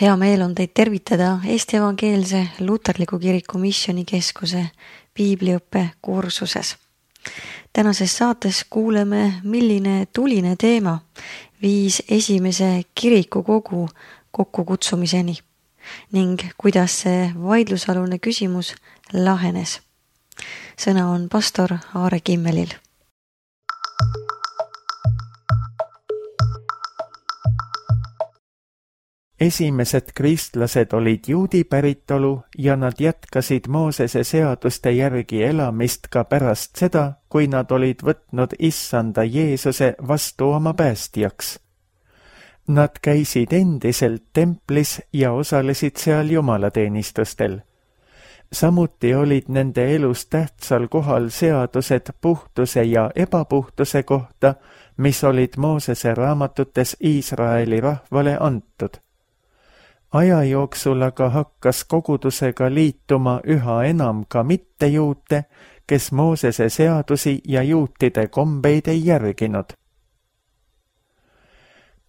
Hea meel on teid tervitada Eesti Evangeelse Luterliku Kiriku Missioonikeskuse piibliõppe kursuses. Tänases saates kuuleme, milline tuline teema viis esimese kirikukogu kokkukutsumiseni ning kuidas see vaidlusalune küsimus lahenes. Sõna on pastor Aare Kimmelil. Esimesed kristlased olid juudi päritolu ja nad jätkasid Moosese seaduste järgi elamist ka pärast seda, kui nad olid võtnud Issanda Jeesuse vastu oma päästjaks. Nad käisid endiselt templis ja osalesid seal jumalateenistustel. Samuti olid nende elus tähtsal kohal seadused puhtuse ja ebapuhtuse kohta, mis olid Moosese raamatutes Iisraeli rahvale antud. Aja jooksul aga hakkas kogudusega liituma üha enam ka mittejuute, kes Moosese seadusi ja juutide kombeid ei järginud.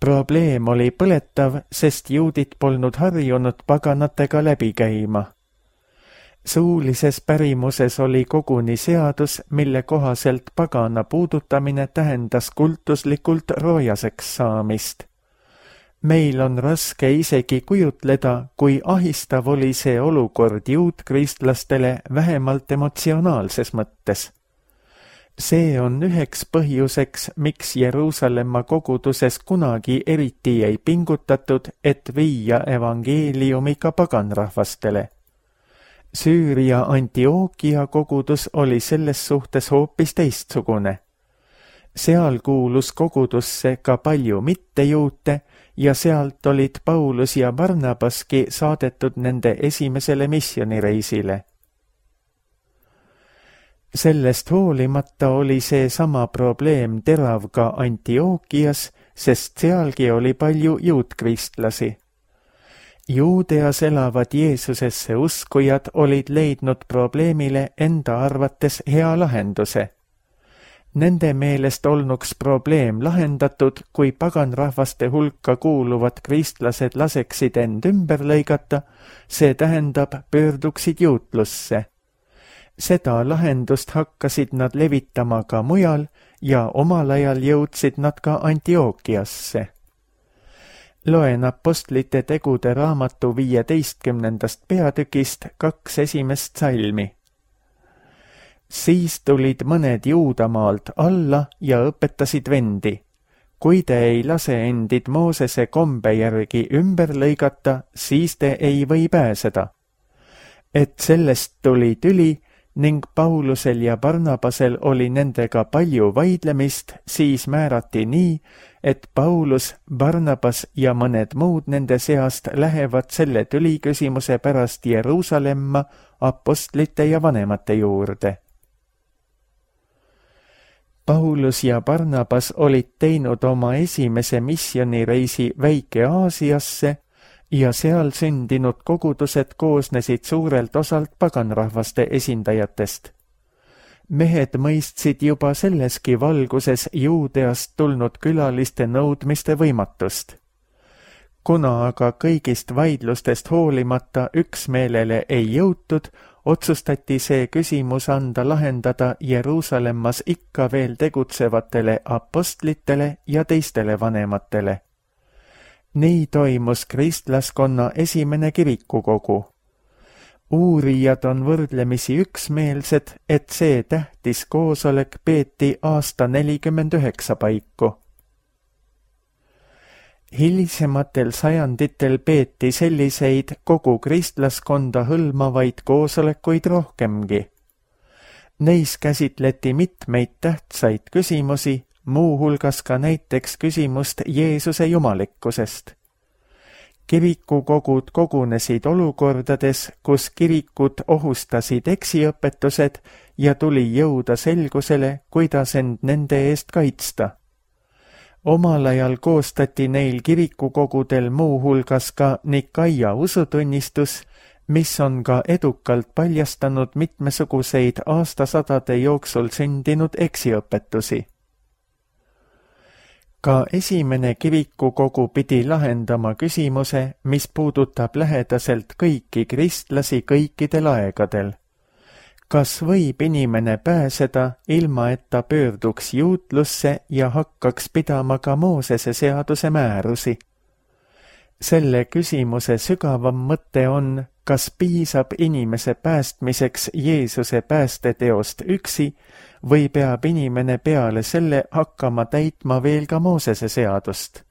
Probleem oli põletav, sest juudid polnud harjunud paganatega läbi käima. Suulises pärimuses oli koguni seadus, mille kohaselt pagana puudutamine tähendas kultuslikult roojaseks saamist. Meil on raske isegi kujutleda, kui ahistav oli see olukord juutkristlastele vähemalt emotsionaalses mõttes. See on üheks põhjuseks, miks Jeruusalemma koguduses kunagi eriti ei pingutatud, et viia evangeeliumi ka paganrahvastele. Süüria Antiokia kogudus oli selles suhtes hoopis teistsugune. Seal kuulus kogudusse ka palju mittejuute ja sealt olid Paulus ja Barnabaski saadetud nende esimesele missioonireisile. Sellest hoolimata oli see sama probleem terav ka Antiokias, sest sealgi oli palju juutkristlasi. Juudeas elavad Jeesusesse uskujad olid leidnud probleemile enda arvates hea lahenduse. Nende meelest olnuks probleem lahendatud, kui paganrahvaste hulka kuuluvad kristlased laseksid end ümber lõigata, see tähendab pöörduksid juutlusse. Seda lahendust hakkasid nad levitama ka mujal ja omal ajal jõudsid nad ka Antiokiasse. Loen Apostlite tegude raamatu 15. peatükist 2 esimest salmi. Siis tulid mõned Juudamaalt alla ja õpetasid vendi. Kui te ei lase endid Moosese kombe järgi ümber lõigata, siis te ei või pääseda. Et sellest tuli tüli ning Paulusel ja Barnabasel oli nendega palju vaidlemist, siis määrati nii, et Paulus, Barnabas ja mõned muud nende seast lähevad selle tüliküsimuse pärast Jeruusalemma apostlite ja vanemate juurde. Paulus ja Barnabas olid teinud oma esimese missioonireisi Väike-Aasiasse ja seal sündinud kogudused koosnesid suurelt osalt paganrahvaste esindajatest. Mehed mõistsid juba selleski valguses Juudeast tulnud külaliste nõudmiste võimatust. Kuna aga kõigist vaidlustest hoolimata üksmeelele ei jõutud, otsustati see küsimus anda lahendada Jeruusalemmas ikka veel tegutsevatele apostlitele ja teistele vanematele. Nii toimus kristlaskonna esimene kirikukogu. Uurijad on võrdlemisi üksmeelsed, et see tähtis koosolek peeti aasta 49 paiku. Hilisematel sajanditel peeti selliseid kogu kristlaskonda hõlmavaid koosolekuid rohkemgi. Neis käsitleti mitmeid tähtsaid küsimusi, muuhulgas ka näiteks küsimust Jeesuse jumalikkusest. Kirikukogud kogunesid olukordades, kus kirikud ohustasid eksiõpetused ja tuli jõuda selgusele, kuidas end nende eest kaitsta. Omal ajal koostati neil kirikukogudel muuhulgas ka Nikaia usutunnistus, mis on ka edukalt paljastanud mitmesuguseid aastasadade jooksul sündinud eksiõpetusi. Ka esimene kirikukogu pidi lahendama küsimuse, mis puudutab lähedaselt kõiki kristlasi kõikidel aegadel. Kas võib inimene pääseda, ilma et ta pöörduks juutlusse ja hakkaks pidama ka Moosese seaduse määrusi? Selle küsimuse sügavam mõte on, kas piisab inimese päästmiseks Jeesuse päästeteost üksi või peab inimene peale selle hakkama täitma veel ka Moosese seadust.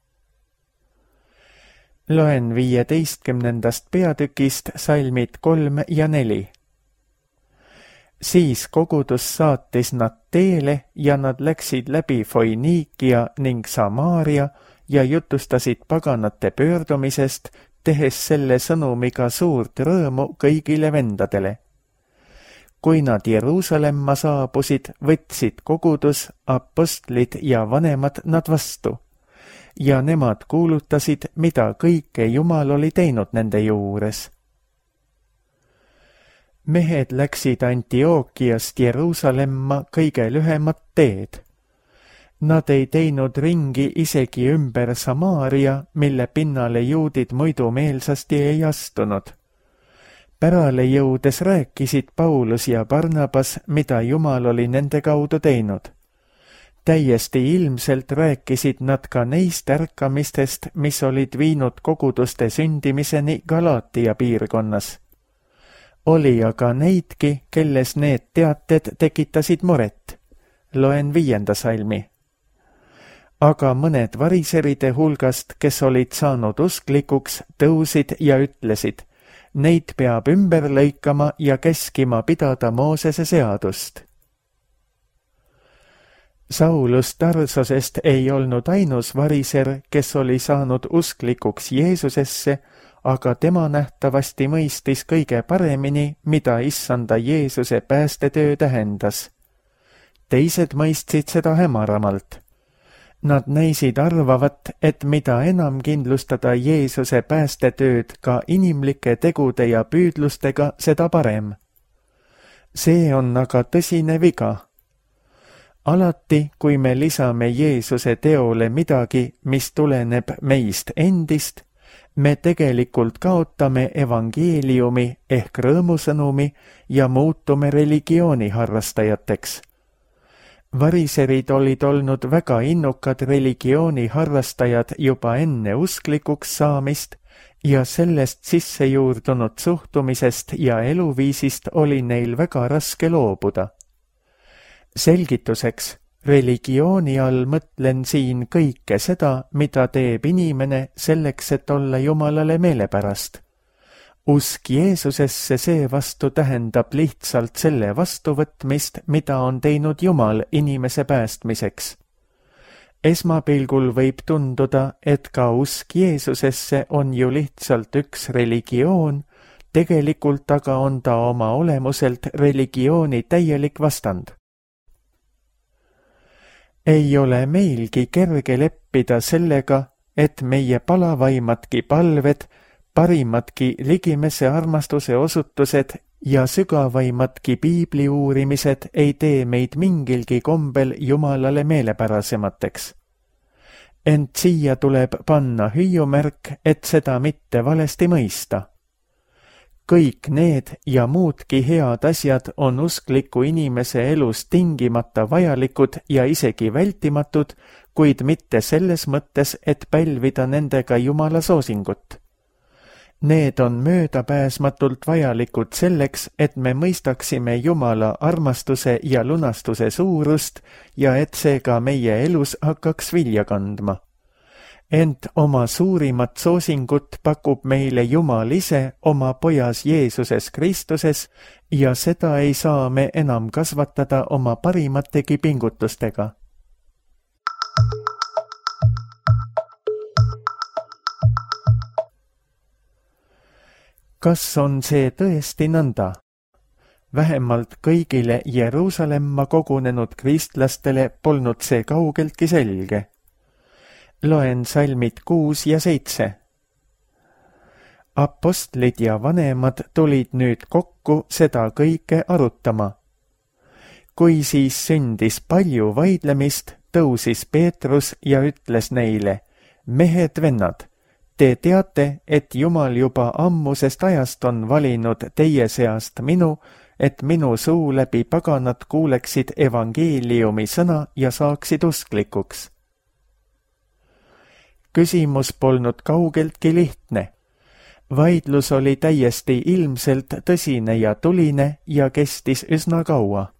Loen 15. peatükist salmid 3 ja 4. Siis kogudus saatis nad teele ja nad läksid läbi Foiniikia ning Samaaria ja jutustasid paganate pöördumisest, tehes selle sõnumiga suurt rõõmu kõigile vendadele. Kui nad Jeruusalemma saabusid, võtsid kogudus, apostlid ja vanemad nad vastu. Ja nemad kuulutasid, mida kõike Jumal oli teinud nende juures. Mehed läksid Antiookiast Jeruusalemma kõige lühemat teed. Nad ei teinud ringi isegi ümber Samaaria, mille pinnale juudid muidu meelsasti ei astunud. Pärale jõudes rääkisid Paulus ja Barnabas, mida Jumal oli nende kaudu teinud. Täiesti ilmselt rääkisid nad ka neist ärkamistest, mis olid viinud koguduste sündimiseni Galaatia piirkonnas. Oli aga neidki, kelles need teated tekitasid muret. Loen 5. salmi. Aga mõned variseride hulgast, kes olid saanud usklikuks, tõusid ja ütlesid, neid peab ümber lõikama ja keskima pidada Moosese seadust. Saulus Tarsosest ei olnud ainus variser, kes oli saanud usklikuks Jeesusesse, aga tema nähtavasti mõistis kõige paremini, mida issanda Jeesuse päästetöö tähendas. Teised mõistsid seda hämaramalt. Nad näisid arvavat, et mida enam kindlustada Jeesuse päästetööd ka inimlike tegude ja püüdlustega, seda parem. See on aga tõsine viga. Alati, kui me lisame Jeesuse teole midagi, mis tuleneb meist endist, me tegelikult kaotame evangeeliumi ehk rõõmusõnumi ja muutume religiooni harrastajateks. Variserid olid olnud väga innukad religiooni harrastajad juba enne usklikuks saamist ja sellest sisse juurdunud suhtumisest ja eluviisist oli neil väga raske loobuda. Selgituseks, religiooni all mõtlen siin kõike seda, mida teeb inimene selleks, et olla Jumalale meelepärast. Usk Jeesusesse seevastu tähendab lihtsalt selle vastuvõtmist, mida on teinud Jumal inimese päästmiseks. Esmapilgul võib tunduda, et ka usk Jeesusesse on ju lihtsalt üks religioon, tegelikult aga on ta oma olemuselt religiooni täielik vastand. Ei ole meilgi kerge leppida sellega, et meie palavaimadki palved, parimadki ligimese armastuse osutused ja sügavaimadki piibli uurimised ei tee meid mingilgi kombel Jumalale meelepärasemateks. Ent siia tuleb panna hüüumärk, et seda mitte valesti mõista. Kõik need ja muudki head asjad on uskliku inimese elus tingimata vajalikud ja isegi vältimatud, kuid mitte selles mõttes, et pälvida nendega Jumala soosingut. Need on möödapääsmatult vajalikud selleks, et me mõistaksime Jumala armastuse ja lunastuse suurust ja et see ka meie elus hakkaks vilja kandma. Ent oma suurimat soosingut pakub meile Jumal ise oma pojas Jeesuses Kristuses ja seda ei saa me enam kasvatada oma parimategi pingutustega. Kas on see tõesti nõnda? Vähemalt kõigile Jeruusalemma kogunenud kristlastele polnud see kaugeltki selge. Loen salmid 6 ja 7. Apostlid ja vanemad tulid nüüd kokku seda kõike arutama. Kui siis sündis palju vaidlemist, tõusis Peetrus ja ütles neile: mehed, vennad, te teate, et Jumal juba ammusest ajast on valinud teie seast minu, et minu suu läbi paganad kuuleksid evangeeliumi sõna ja saaksid usklikuks. Küsimus polnud kaugeltki lihtne. Vaidlus oli täiesti ilmselt tõsine ja tuline ja kestis üsna kaua.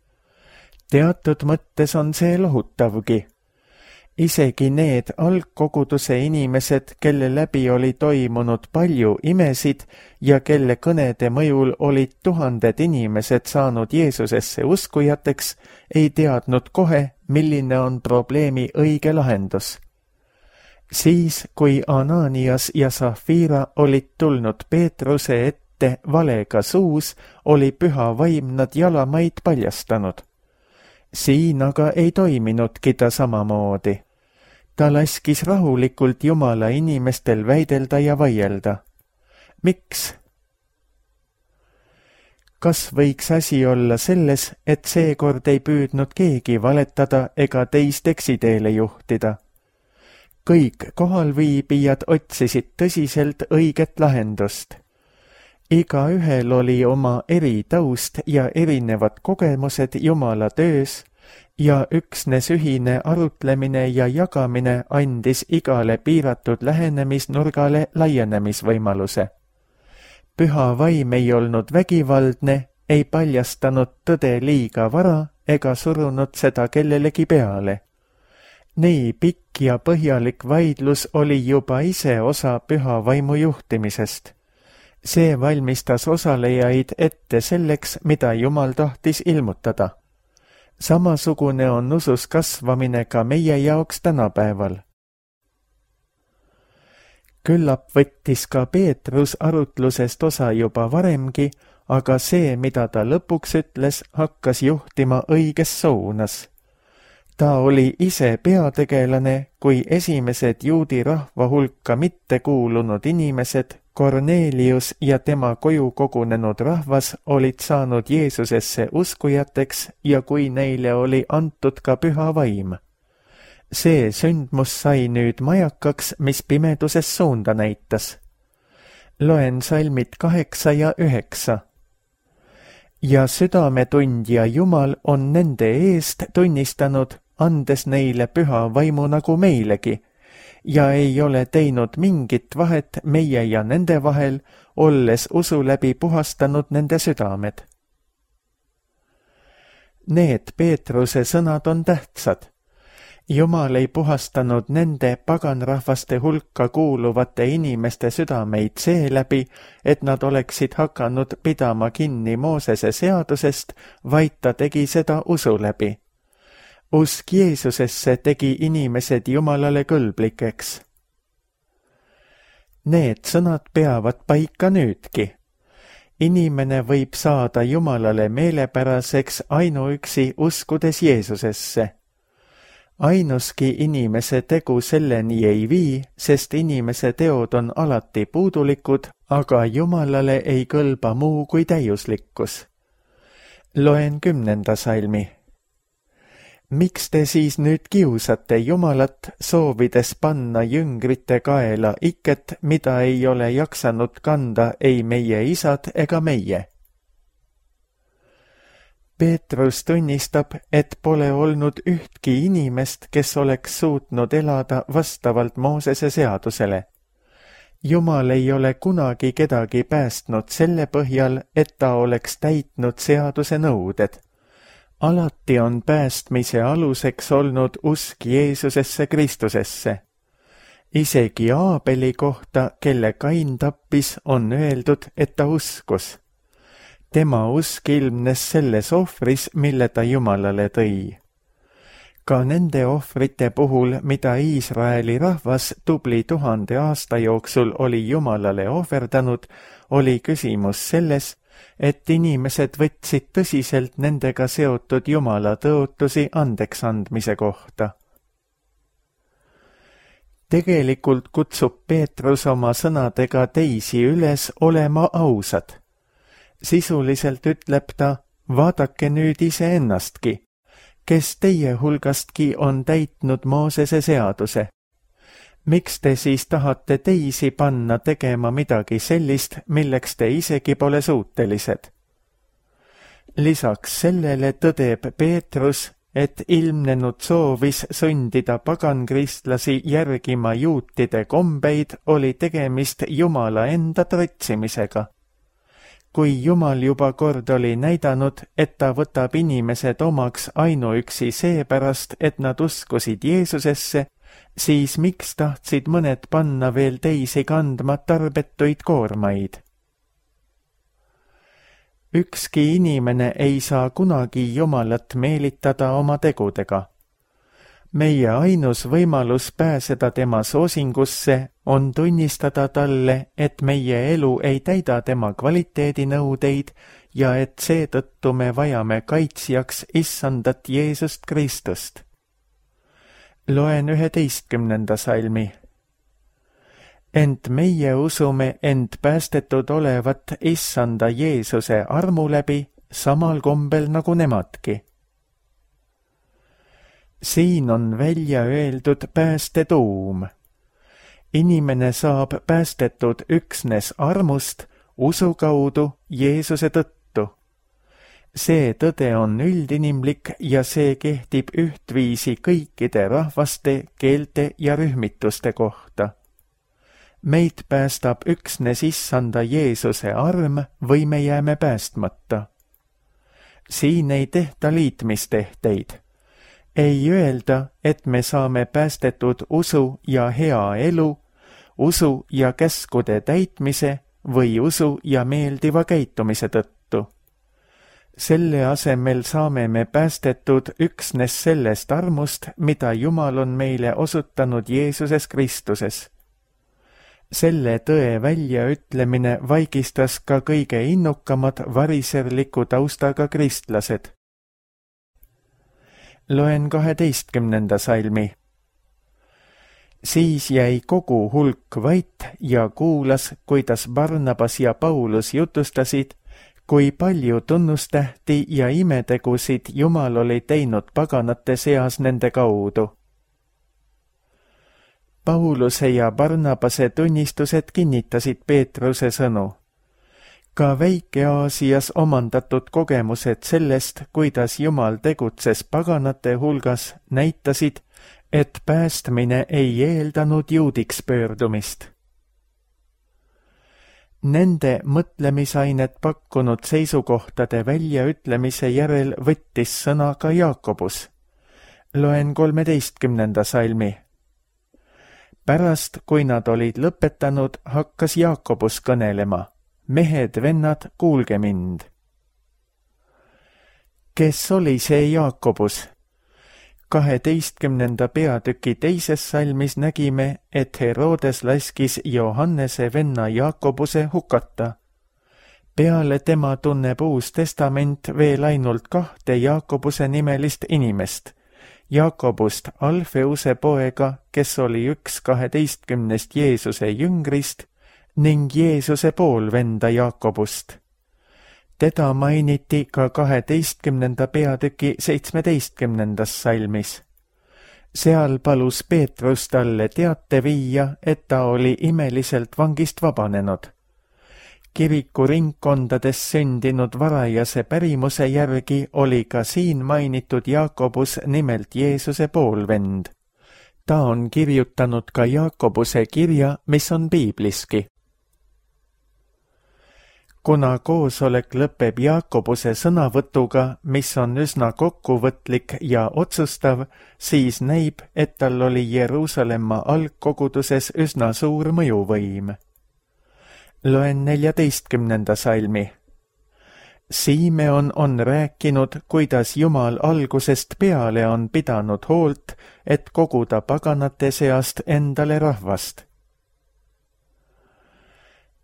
Teatud mõttes on see lohutavgi. Isegi need algkoguduse inimesed, kelle läbi oli toimunud palju imesid ja kelle kõnede mõjul olid tuhanded inimesed saanud Jeesusesse uskujateks, ei teadnud kohe, milline on probleemi õige lahendus. Siis, kui Ananias ja Safira olid tulnud Peetruse ette valega suus, oli püha vaim nad jalamaid paljastanud. Siin aga ei toiminudki ta samamoodi. Ta laskis rahulikult Jumala inimestel väidelda ja vaielda. Miks? Kas võiks asi olla selles, et seekord ei püüdnud keegi valetada ega teist eksiteele juhtida? Kõik kohalviibijad otsisid tõsiselt õiget lahendust. Igaühel oli oma eritaust ja erinevad kogemused Jumala töös ja üksnes ühine arutlemine ja jagamine andis igale piiratud lähenemisnurgale laienemisvõimaluse. Püha vaim ei olnud vägivaldne, ei paljastanud tõde liiga vara ega surunud seda kellelegi peale. Nii pikk ja põhjalik vaidlus oli juba ise osa püha vaimu juhtimisest. See valmistas osalejaid ette selleks, mida Jumal tahtis ilmutada. Samasugune on usus kasvamine ka meie jaoks tänapäeval. Küllap võttis ka Peetrus arutlusest osa juba varemgi, aga see, mida ta lõpuks ütles, hakkas juhtima õiges suunas. Ta oli ise peategelane, kui esimesed juudi rahva hulka mitte kuulunud inimesed, Kornelius ja tema koju kogunenud rahvas olid saanud Jeesusesse uskujateks ja kui neile oli antud ka püha vaim. See sündmus sai nüüd majakaks, mis pimeduses suunda näitas. Loen salmid 8 ja 9. Ja südametundja Jumal on nende eest tunnistanud, andes neile püha vaimu nagu meilegi, ja ei ole teinud mingit vahet meie ja nende vahel, olles usu läbi puhastanud nende südamed. Need Peetruse sõnad on tähtsad. Jumal ei puhastanud nende paganrahvaste hulka kuuluvate inimeste südameid seeläbi, et nad oleksid hakanud pidama kinni Moosese seadusest, vaid ta tegi seda usu läbi. Usk Jeesusesse tegi inimesed Jumalale kõlblikeks. Need sõnad peavad paika nüüdki. Inimene võib saada Jumalale meelepäraseks ainuüksi uskudes Jeesusesse. Ainuski inimese tegu selleni ei vii, sest inimese teod on alati puudulikud, aga Jumalale ei kõlba muu kui täiuslikkus. Loen 10. salmi. Miks te siis nüüd kiusate Jumalat, soovides panna jüngrite kaela iket, mida ei ole jaksanud kanda ei meie isad ega meie? Peetrus tunnistab, et pole olnud ühtki inimest, kes oleks suutnud elada vastavalt Moosese seadusele. Jumal ei ole kunagi kedagi päästnud selle põhjal, et ta oleks täitnud seaduse nõuded. Alati on päästmise aluseks olnud usk Jeesusesse Kristusesse. Isegi Aabeli kohta, kelle Kain tappis, on öeldud, et ta uskus. Tema usk ilmnes selles ohvris, mille ta Jumalale tõi. Ka nende ohvrite puhul, mida Iisraeli rahvas tubli 1000 aasta jooksul oli Jumalale ohverdanud, oli küsimus selles, et inimesed võtsid tõsiselt nendega seotud Jumala tõotusi andeks andmise kohta. Tegelikult kutsub Peetrus oma sõnadega teisi üles olema ausad. Sisuliselt ütleb ta, vaadake nüüd iseennastki. kes teie hulgastki on täitnud Moosese seaduse. Miks te siis tahate teisi panna tegema midagi sellist, milleks te isegi pole suutelised? Lisaks sellele tõdeb Peetrus, et ilmnenud soovis sundida pagankristlasi järgima juutide kombeid, oli tegemist Jumala enda trotsimisega. Kui Jumal juba kord oli näidanud, et ta võtab inimesed omaks ainuüksi seepärast, et nad uskusid Jeesusesse, siis miks tahtsid mõned panna veel teisi kandma tarbetuid koormaid? Ükski inimene ei saa kunagi Jumalat meelitada oma tegudega. Meie ainus võimalus pääseda tema soosingusse on tunnistada talle, et meie elu ei täida tema kvaliteedinõudeid ja et seetõttu me vajame kaitsjaks Issandat Jeesust Kristust. Loen 11. salmi. Ent meie usume end päästetud olevat Issanda Jeesuse armu läbi samal kombel nagu nemadki. Siin on välja öeldud pääste tuum. Inimene saab päästetud üksnes armust, usu kaudu Jeesuse tõttu. See tõde on üldinimlik ja see kehtib ühtviisi kõikide rahvaste, keelte ja rühmituste kohta. Meid päästab üksnes Issanda Jeesuse arm või me jääme päästmata. Siin ei tehta liitmistehteid. Ei öelda, et me saame päästetud usu ja hea elu, usu ja käskude täitmise või usu ja meeldiva käitumise tõttu. Selle asemel saame me päästetud üksnes sellest armust, mida Jumal on meile osutanud Jeesuses Kristuses. Selle tõe väljaütlemine vaigistas ka kõige innukamad variserliku taustaga kristlased. Loen 12. salmi. Siis jäi kogu hulk vait ja kuulas, kuidas Barnabas ja Paulus jutustasid, kui palju tunnustähti ja imetegusid Jumal oli teinud paganate seas nende kaudu. Pauluse ja Barnabase tunnistused kinnitasid Peetruse sõnu. Ka Väike-Aasias omandatud kogemused sellest, kuidas Jumal tegutses paganate hulgas, näitasid, et päästmine ei eeldanud juudiks pöördumist. Nende mõtlemisainet pakkunud seisukohtade väljaütlemise järel võttis sõna ka Jaakobus. Loen 13. salmi. Pärast, kui nad olid lõpetanud, hakkas Jaakobus kõnelema. Mehed, vennad, kuulge mind. Kes oli see Jaakobus? 12. peatüki 2. salmis nägime, et Herodes laskis Johannese venna Jaakobuse hukata. Peale tema tunneb Uus Testament veel ainult 2 Jaakobuse nimelist inimest. Jaakobust Alfeuse poega, kes oli üks 12 Jeesuse jüngrist, ning Jeesuse poolvenda Jaakobust. Teda mainiti ka 12. peatüki 17. salmis. Seal palus Peetrus talle teate viia, et ta oli imeliselt vangist vabanenud. Kiriku ringkondades sündinud varajase pärimuse järgi oli ka siin mainitud Jaakobus nimelt Jeesuse poolvend. Ta on kirjutanud ka Jaakobuse kirja, mis on piibliski. Kuna koosolek lõpeb Jaakobuse sõnavõtuga, mis on üsna kokkuvõtlik ja otsustav, siis näib, et tal oli Jeruusalemma algkoguduses üsna suur mõjuvõim. Loen 14. salmi. Simeon on rääkinud, kuidas Jumal algusest peale on pidanud hoolt, et koguda paganate seast endale rahvast.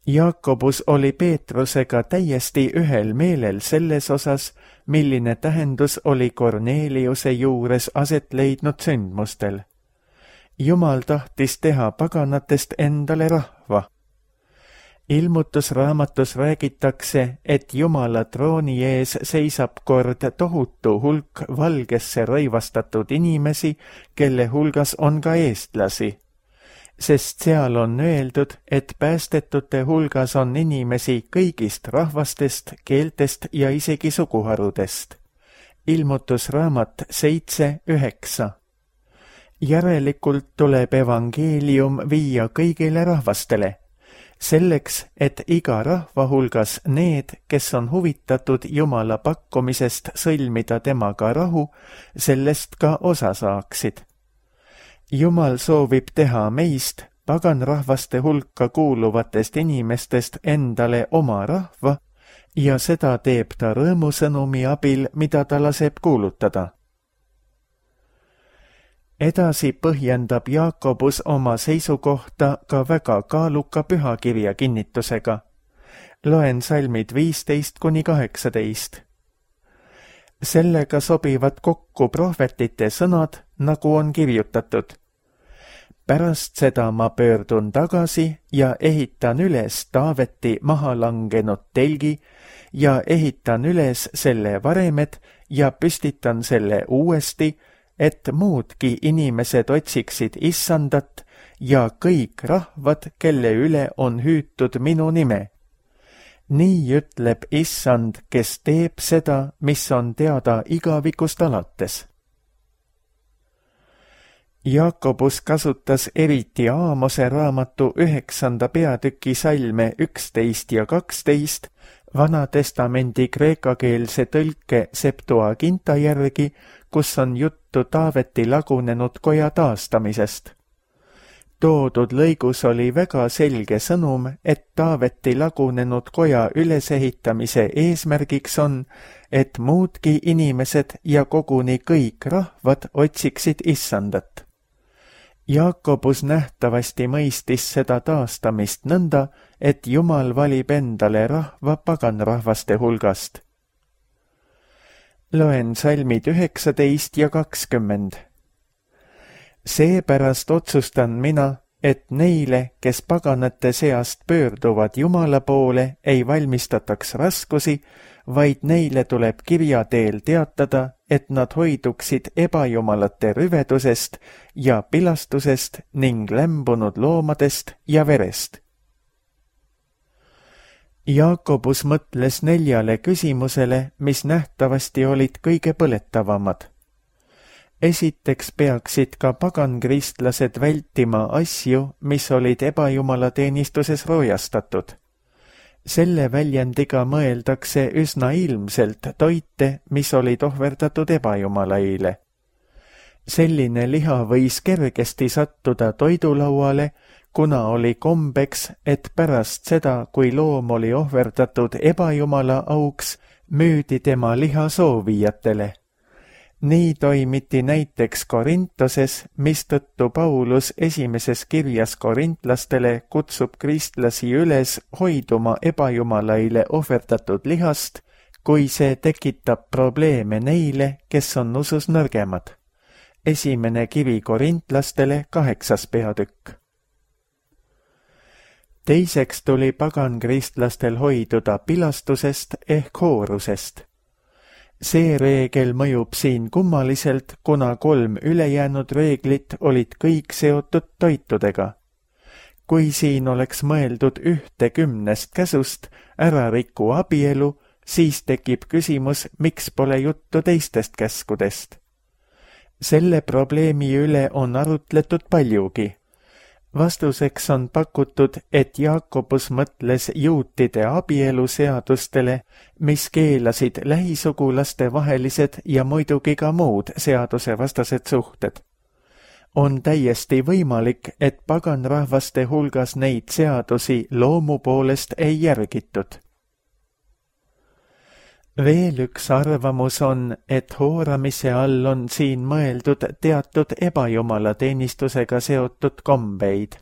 Jaakobus oli Peetrusega täiesti ühel meelel selles osas, milline tähendus oli Korneliuse juures aset leidnud sündmustel. Jumal tahtis teha paganatest endale rahva. Ilmutusraamatus räägitakse, et Jumala trooni ees seisab kord tohutu hulk valgesse rõivastatud inimesi, kelle hulgas on ka eestlasi. Sest seal on öeldud, et päästetute hulgas on inimesi kõigist rahvastest, keeltest ja isegi suguharudest. Ilmutusraamat 7:9. Järelikult tuleb evangeelium viia kõigile rahvastele, selleks, et iga rahva hulgas need, kes on huvitatud Jumala pakkumisest sõlmida temaga rahu, sellest ka osa saaksid. Jumal soovib teha meist, paganrahvaste hulka kuuluvatest inimestest endale oma rahva ja seda teeb ta rõõmusõnumi abil, mida ta laseb kuulutada. Edasi põhjendab Jaakobus oma seisukohta ka väga kaaluka pühakirja kinnitusega. Loen salmid 15-18. Sellega sobivad kokku prohvetite sõnad, nagu on kirjutatud. Pärast seda ma pöördun tagasi ja ehitan üles Taaveti maha langenud telgi ja ehitan üles selle varemed ja püstitan selle uuesti, et muudki inimesed otsiksid Issandat ja kõik rahvad, kelle üle on hüütud minu nime. Nii ütleb Issand, kes teeb seda, mis on teada igavikust alates. Jaakobus kasutas eriti Aamose raamatu 9. peatüki salme 11 ja 12 Vanatestamendi kreekakeelse tõlke Septuaginta järgi, kus on juttu Taaveti lagunenud koja taastamisest. Toodud lõigus oli väga selge sõnum, et Taaveti lagunenud koja ülesehitamise eesmärgiks on, et muudki inimesed ja koguni kõik rahvad otsiksid Issandat. Jaakobus nähtavasti mõistis seda taastamist nõnda, et Jumal valib endale rahva paganrahvaste hulgast. Loen salmid 19 ja 20. Seepärast otsustan mina, et neile, kes paganate seast pöörduvad Jumala poole, ei valmistataks raskusi, vaid neile tuleb kirja teel teatada, et nad hoiduksid ebajumalate rüvedusest ja pilastusest ning lämbunud loomadest ja verest. Jaakobus mõtles 4 küsimusele, mis nähtavasti olid kõige põletavamad. Esiteks peaksid ka pagankristlased vältima asju, mis olid ebajumalateenistuses roojastatud. Selle väljendiga mõeldakse üsna ilmselt toite, mis olid ohverdatud ebajumalaile. Selline liha võis kergesti sattuda toidulauale, kuna oli kombeks, et pärast seda, kui loom oli ohverdatud ebajumala auks, müüdi tema liha soovijatele. Nii toimiti näiteks Korintoses, mistõttu Paulus esimeses kirjas korintlastele kutsub kristlasi üles hoiduma ebajumalaile ohverdatud lihast, kui see tekitab probleeme neile, kes on usus nõrgemad. Esimene kiri korintlastele 8. peatükk. Teiseks tuli pagankristlastel hoiduda pilastusest ehk hoorusest. See reegel mõjub siin kummaliselt, kuna 3 ülejäänud reeglit olid kõik seotud toitudega. Kui siin oleks mõeldud 1/10 käsust ära riku abielu, siis tekib küsimus, miks pole juttu teistest käskudest. Selle probleemi üle on arutletud paljugi. Vastuseks on pakutud, et Jaakobus mõtles juutide abieluseadustele, mis keelasid lähisugulaste vahelised ja muidugi ka muud seadusevastased suhted. On täiesti võimalik, et paganrahvaste hulgas neid seadusi loomu poolest ei järgitud. Veel üks arvamus on, et hooramise all on siin mõeldud teatud ebajumalateenistusega seotud kombeid.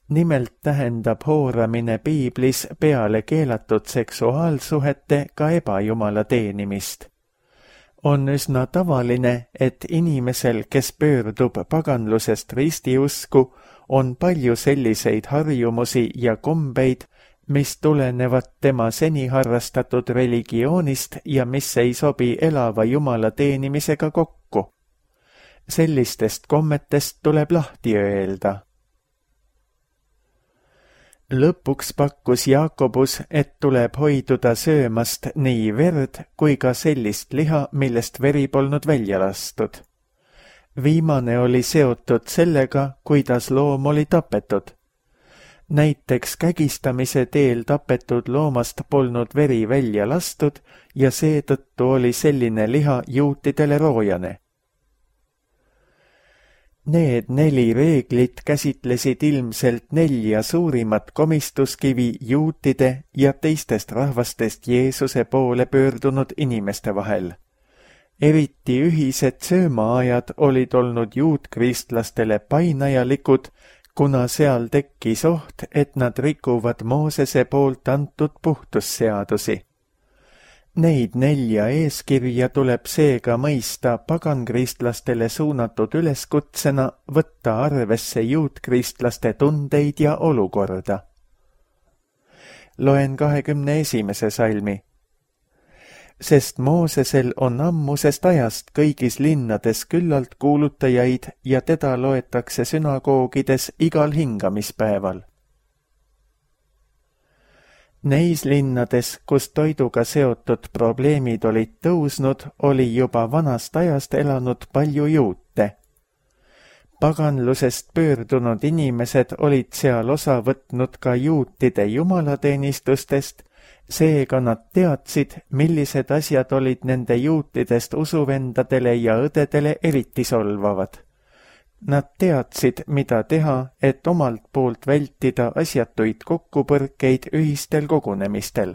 Nimelt tähendab hooramine piiblis peale keelatud seksuaalsuhete ka ebajumala teenimist. On üsna tavaline, et inimesel, kes pöördub paganlusest ristiusku, on palju selliseid harjumusi ja kombeid, mis tulenevad tema seni harrastatud religioonist ja mis ei sobi elava Jumala teenimisega kokku. Sellistest kommetest tuleb lahti öelda. Lõpuks pakkus Jaakobus, et tuleb hoiduda söömast nii verd kui ka sellist liha, millest veri polnud välja lastud. Viimane oli seotud sellega, kuidas loom oli tapetud. Näiteks kägistamise teel tapetud loomast polnud veri välja lastud ja seetõttu oli selline liha juutidele roojane. Need 4 reeglit käsitlesid ilmselt 4 suurimat komistuskivi juutide ja teistest rahvastest Jeesuse poole pöördunud inimeste vahel. Eriti ühised söömaajad olid olnud juutkristlastel painajalikud, kuna seal tekkis oht, et nad rikuvad Moosese poolt antud puhtusseadusi. Neid 4 eeskirja tuleb seega mõista pagankristlastele suunatud üleskutsena võtta arvesse juutkristlaste tundeid ja olukorda. Loen 21. salmi. Sest Moosesel on ammusest ajast kõigis linnades küllalt kuulutajaid ja teda loetakse sünagoogides igal hingamispäeval. Neis linnades, kus toiduga seotud probleemid olid tõusnud, oli juba vanast ajast elanud palju juute. Paganlusest pöördunud inimesed olid seal osa võtnud ka juutide jumalateenistustest, seega nad teadsid, millised asjad olid nende juutidest usuvendadele ja õdedele eriti solvavad. Nad teadsid, mida teha, et omalt poolt vältida asjatuid kokkupõrkeid ühistel kogunemistel.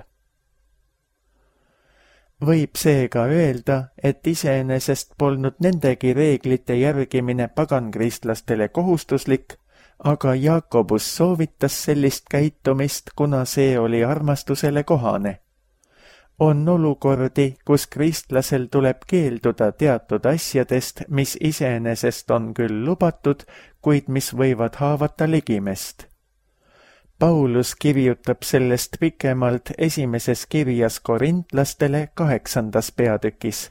Võib seega öelda, et iseenesest polnud nendegi reeglite järgimine pagankristlastel kohustuslik, aga Jaakobus soovitas sellist käitumist, kuna see oli armastusele kohane. On olukordi, kus kristlasel tuleb keelduda teatud asjadest, mis iseenesest on küll lubatud, kuid mis võivad haavata ligimest. Paulus kirjutab sellest pikemalt esimeses kirjas korintlastele 8. peatükis.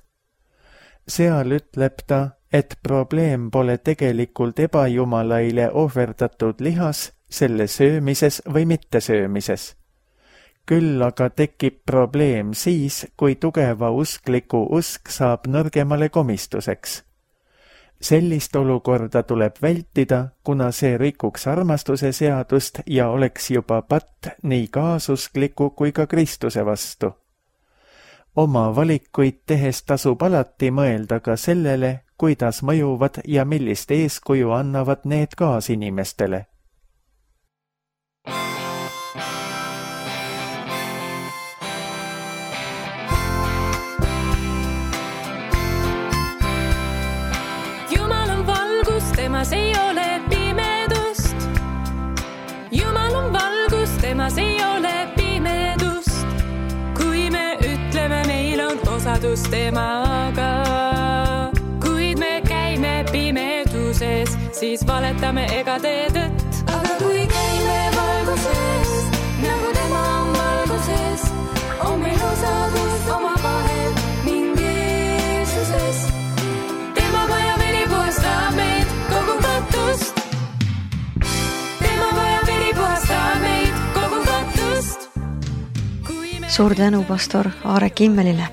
Seal ütleb ta, et probleem pole tegelikult ebajumalaile ohverdatud lihas, selle söömises või mittesöömises. Küll aga tekib probleem siis, kui tugeva uskliku usk saab nõrgemale komistuseks. Sellist olukorda tuleb vältida, kuna see rikuks armastuse seadust ja oleks juba patt nii kaasuskliku kui ka Kristuse vastu. Oma valikuid tehes tasub alati mõelda ka sellele, kuidas mõjuvad ja millist eeskuju annavad need kaasinimestele. Temas ei ole pimedust. Jumal on valgus, temas ei ole pimedust. Kui me ütleme, meil on osadus temaga, kuid me käime pimeduses, siis valetame ega tee tõtt. Aga kui käime valguses, nagu tema on valguses, on meil osadus oma vahel ning Jeesuses. Tema vaja veri puhastab meid kogu kattust. Tema vaja veri puhastab meid kogu kattust. Suur tänu pastor Aare Kimmelile.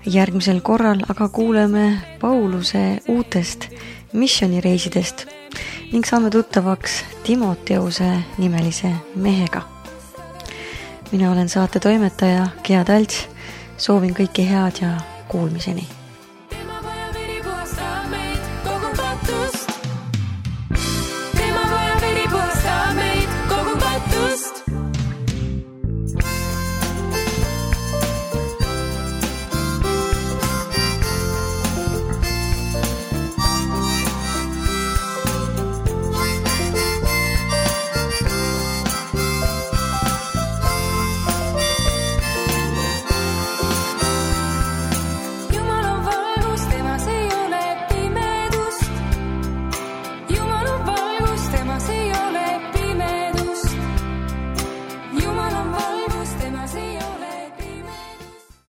Järgmisel korral aga kuuleme Pauluse uutest missionireisidest ning saame tuttavaks Timoteuse nimelise mehega. Mina olen saate toimetaja Gea Talts. Soovin kõike head ja kuulmiseni.